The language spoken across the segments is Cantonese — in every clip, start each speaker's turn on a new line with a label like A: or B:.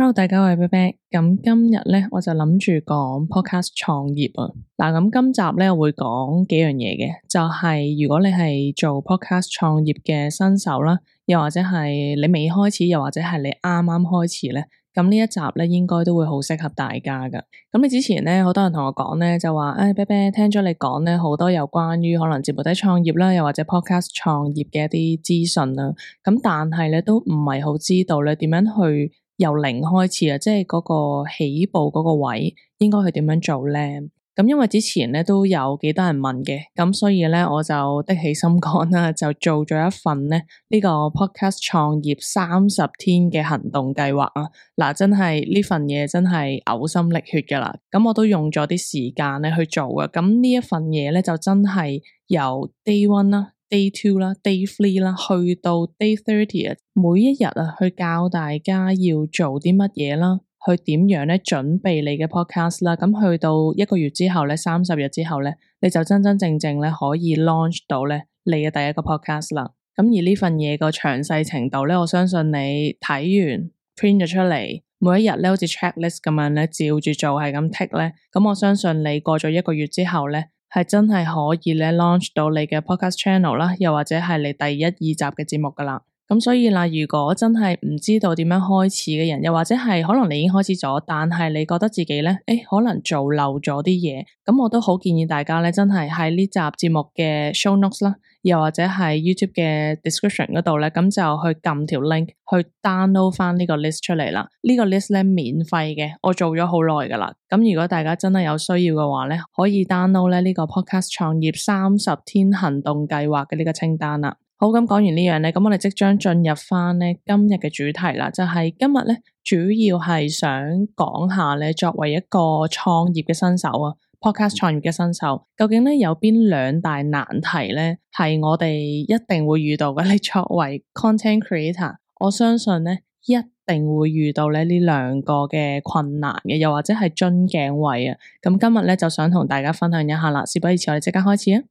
A: Hello，大家好，我係啤啤。咁今日咧，我就諗住講 podcast 創業啊。嗱，咁今集咧，我會講幾樣嘢嘅，就係如果你係做 podcast 創業嘅新手啦，又或者係你未開始，又或者係你啱啱開始咧，咁呢一集咧，應該都會好適合大家噶。咁你之前咧，好多人同我講咧，就話啤啤聽咗你講咧，好多有關於可能自媒體創業啦，又或者 podcast 創業嘅一啲資訊啦。咁但係咧，都唔係好知道咧，點樣去由零開始啊，即係嗰個起步嗰個位應該去點樣做咧？咁因為之前咧都有幾多人問嘅，咁所以咧我就的起心肝啦，就做咗一份咧呢個 podcast 創業30天嘅行動計劃啊！嗱，真係呢份嘢真係嘔心瀝血噶啦，咁我都用咗啲時間咧去做啊！咁呢一份嘢咧就真係由 day 1啦。Day 2啦 ，Day 3啦，去到 Day 30啊，每一日啊，去教大家要做啲乜嘢啦，去點樣咧準備你嘅 podcast 啦，咁去到1個月之後咧，30日之後咧，你就真真正正咧可以 launch 到咧你嘅第一個 podcast 啦。咁而呢份嘢個詳細程度咧，我相信你睇完 print 咗出嚟，每一日咧好似 checklist 咁樣咧，照住做係咁 tick 咧，咁我相信你過咗1個月之後咧，係真係可以咧 launch 到你嘅 podcast channel 啦，又或者係你第1、2集嘅節目噶啦。咁所以啦，如果真係唔知道點樣開始嘅人，又或者係可能你已經開始咗，但係你覺得自己咧，可能做漏咗啲嘢，咁我都好建議大家咧，真係喺呢集節目嘅 show notes 啦，又或者係 YouTube 嘅 description 嗰度咧，咁就去撳條 link 去 download 翻呢個 list 出嚟啦。呢個 list 咧免費嘅，我做咗好耐噶啦。咁如果大家真係有需要嘅話咧，可以 download 咧呢個 podcast 創業30天行動計劃嘅呢個清單啦。好，咁講完呢樣咧，咁我哋即將進入翻咧今日嘅主題啦，就係今日咧主要係想講下咧，作為一個創業嘅新手啊，podcast 創業嘅新手，究竟咧有邊2大難題咧係我哋一定會遇到嘅？你作為 content creator， 我相信咧一定會遇到咧呢2個嘅困難嘅，又或者係樽頸位啊。咁今日咧就想同大家分享一下啦，事不宜遲，我哋即刻開始啊！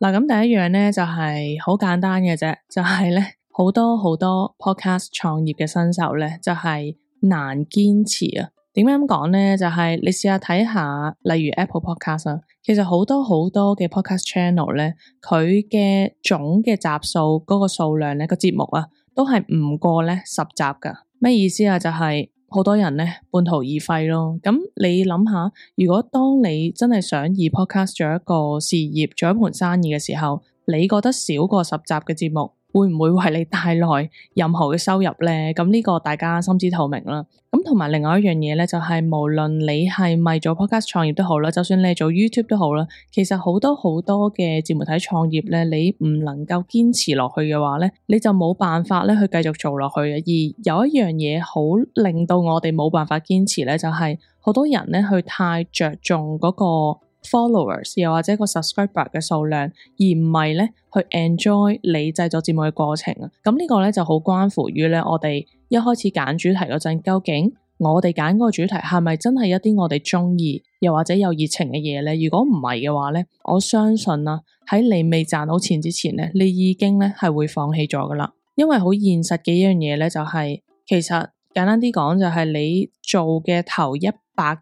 A: 嗱，咁第一樣咧就係好簡單嘅啫，就係咧好多 podcast 創業嘅新手咧就係難堅持啊。點解咁講咧？就係你試下睇下，例如 Apple Podcast 啊，其實好多嘅 podcast channel 咧，佢嘅總嘅集數嗰個數量咧，個節目啊，都係唔過咧10集噶。咩意思啊？就係好多人咧半途而廢咯。咁你諗下，如果當你真係想以 podcast 做一個事業，做一盤生意嘅時候，你覺得少過10集嘅節目會唔會為你帶來任何嘅收入咧？咁呢個大家心知肚明啦。咁同埋另外一樣嘢咧，就係無論你係咪做 podcast 創業都好啦，就算你係做 YouTube 都好啦，其實好多嘅自媒體創業咧，你唔能夠堅持落去嘅話咧，你就冇辦法咧去繼續做落去嘅。而有一樣嘢好令到我哋冇辦法堅持咧，就係好多人咧去太着重嗰個 followers 又或者個 subscriber 嘅數量，而唔係咧去 enjoy 你製作節目嘅過程啊。咁呢個咧就好關乎於咧我哋一開始揀主題嗰陣，究竟我哋揀嗰個主題係咪真係一啲我哋中意又或者有熱情嘅嘢咧？如果唔係嘅話咧，我相信啊喺你未賺到錢之前咧，你已經咧係會放棄咗噶啦。因為好現實嘅一樣嘢咧，就係其實簡單啲講，就係你做嘅頭100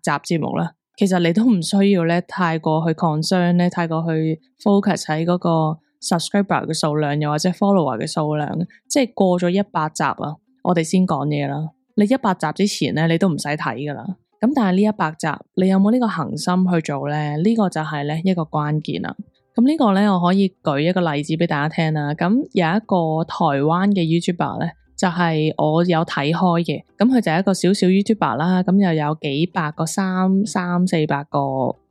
A: 集節目啦。其實你都唔需要咧，太過去 concern 咧，太過去 focus 喺嗰個 subscriber 嘅數量，又或者 follower 嘅數量，即係過咗100集啊，我哋先講嘢啦。你100集之前咧，你都唔使睇噶啦。咁但係呢100集，你有冇呢個恒心去做咧？呢個就係咧一個關鍵啦。咁呢個咧，我可以舉一個例子俾大家聽啦。咁有一個台灣嘅 YouTuber 咧，就係我有睇開嘅，咁佢就係一個小 YouTuber 啦，咁又有幾百個300-400個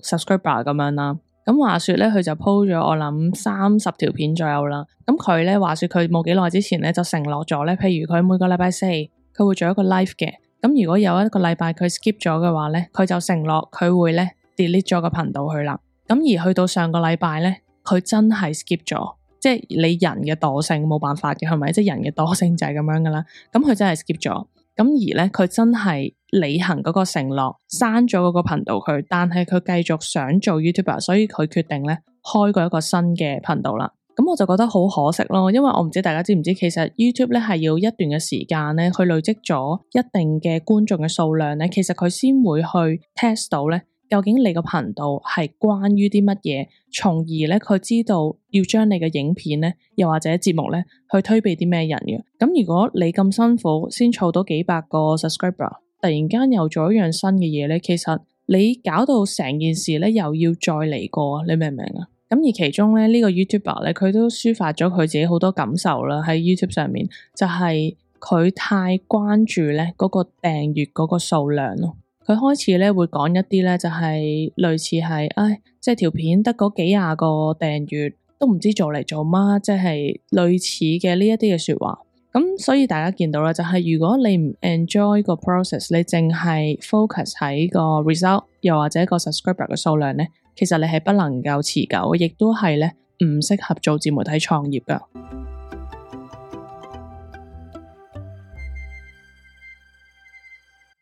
A: subscriber 咁樣啦。咁話說咧，佢就 po 咗我諗30條片左右啦。咁佢咧話說佢冇幾耐之前咧就承諾咗咧，譬如佢每個禮拜4佢會做一個 live 嘅。咁如果有一個禮拜佢 skip 咗嘅話咧，佢就承諾佢會咧 delete 咗個頻道去啦。咁而去到上個禮拜咧，佢真係 skip 咗。即係你人嘅惰性冇辦法嘅，係咪？即係人嘅惰性就係咁樣噶啦。咁佢真係 skip 咗，咁而咧佢真係履行嗰個承諾，刪咗嗰個頻道佢，但係佢繼續想做 YouTuber，所以佢決定咧開過一個新嘅頻道啦。咁我就覺得好可惜咯，因為我唔知大家知唔知，其實 YouTube 咧係要一段嘅時間咧，去累積咗一定嘅觀眾嘅數量咧，其實佢先會去 test 到咧，究竟你個頻道係關於啲乜嘢，從而咧佢知道要將你嘅影片咧，又或者節目咧，去推俾啲咩人嘅。咁如果你咁辛苦先儲到幾百個 subscriber， 突然間又做一樣新嘅嘢咧，其實你搞到成件事咧又要再嚟過，你明唔明啊？咁而其中咧呢個 YouTuber 咧，佢都抒發咗佢自己好多感受啦，喺 YouTube 上面，就係佢太關注咧嗰個訂閱嗰個數量咯。佢開始咧會講一啲咧就係類似係，即係條片得嗰幾廿個訂閱都唔知做嚟做乜，即係類似嘅呢一啲嘅說話。咁所以大家見到啦，就係如果你唔 enjoy 個 process， 你淨係 focus 喺個 result， 又或者個 subscriber 嘅數量咧，其實你係不能夠持久，亦都係咧唔適合做自媒體創業噶。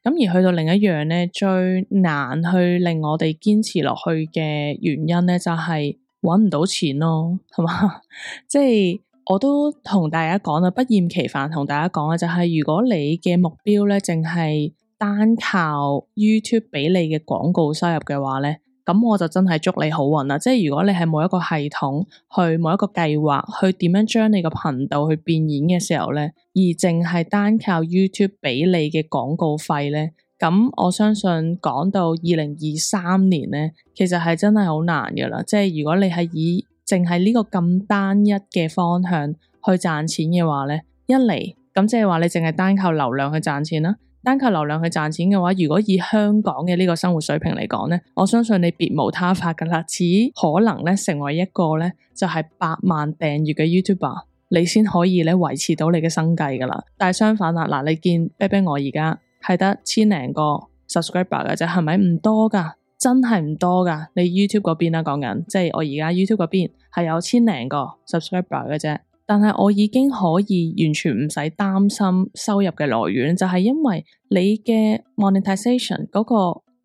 A: 咁而去到另一樣咧，最難去令我哋堅持落去嘅原因咧，就係搵唔到錢咯，係嘛？即係我都同大家講啦，不厭其煩同大家講嘅就係，如果你嘅目標咧，淨係單靠 YouTube 俾你嘅廣告收入嘅話咧，咁我就真係祝你好運啦！即係如果你係冇一個系統去冇一個計劃去點樣將你個頻道去變現嘅時候咧，而淨係單靠 YouTube 俾你嘅廣告費咧，咁我相信講到2023年咧，其實係真係好難噶啦！即係如果你係以淨係呢個咁單一嘅方向去賺錢嘅話咧，一嚟咁即係話你淨係單靠流量去賺錢啦。單靠流量去賺錢嘅話，如果以香港嘅呢個生活水平嚟講咧，我相信你別無他法噶啦，只可能咧成為一個咧就係100萬訂閱嘅 YouTuber， 你先可以咧維持到你嘅生計噶啦。但係相反啦，嗱，你見 Bebe 我而家係得千零個 subscriber 嘅啫，係咪唔多噶？真係唔多噶。你 YouTube 嗰邊啦，講緊即係我而家 YouTube 嗰邊係有千零個 subscriber 嘅啫。但係我已經可以完全唔使擔心收入嘅來源，就係因為你嘅 monetization 嗰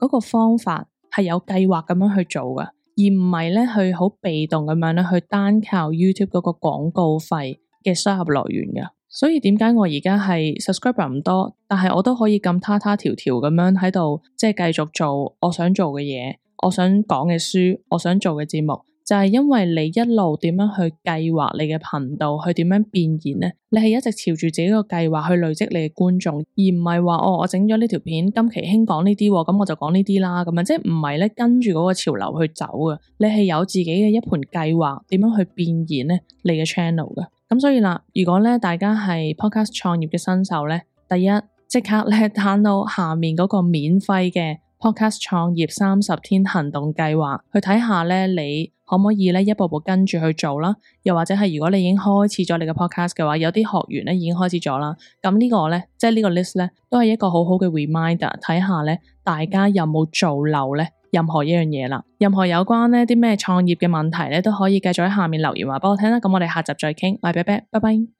A: 個方法係有計劃咁樣去做㗎，而唔係咧去好被動咁樣咧去單靠 YouTube 嗰個廣告費嘅收入來源㗎。所以點解我而家係 subscriber 唔多，但係我都可以咁他條條咁樣喺度，即係繼續做我想做嘅嘢，我想講嘅書，我想做嘅節目。就係因為你一路點樣去計劃你嘅頻道，去點樣變現呢？你係一直朝住自己個計劃去累積你嘅觀眾，而唔係話我整咗呢條片，今期興講呢啲，咁我就講呢啲啦，咁樣即係唔係咧跟住嗰個潮流去走嘅。你係有自己嘅一盤計劃，點樣去變現呢？你嘅 channel 嘅。咁所以啦，如果咧大家係 podcast 創業嘅新手咧，第一即刻咧 download 下面嗰個免費嘅 podcast 創業30天行動計劃，去睇下咧你可唔可以咧一步步跟住去做啦？又或者係如果你已經開始咗你嘅 podcast 嘅話，有啲學員咧已經開始咗啦。咁呢個咧，即係呢個 list 咧，都係一個好好嘅 reminder，睇下咧大家有冇做漏咧任何一樣嘢啦。任何有關呢啲咩創業嘅問題咧，都可以繼續喺下面留言話俾我聽啦。咁我哋下集再傾，拜拜。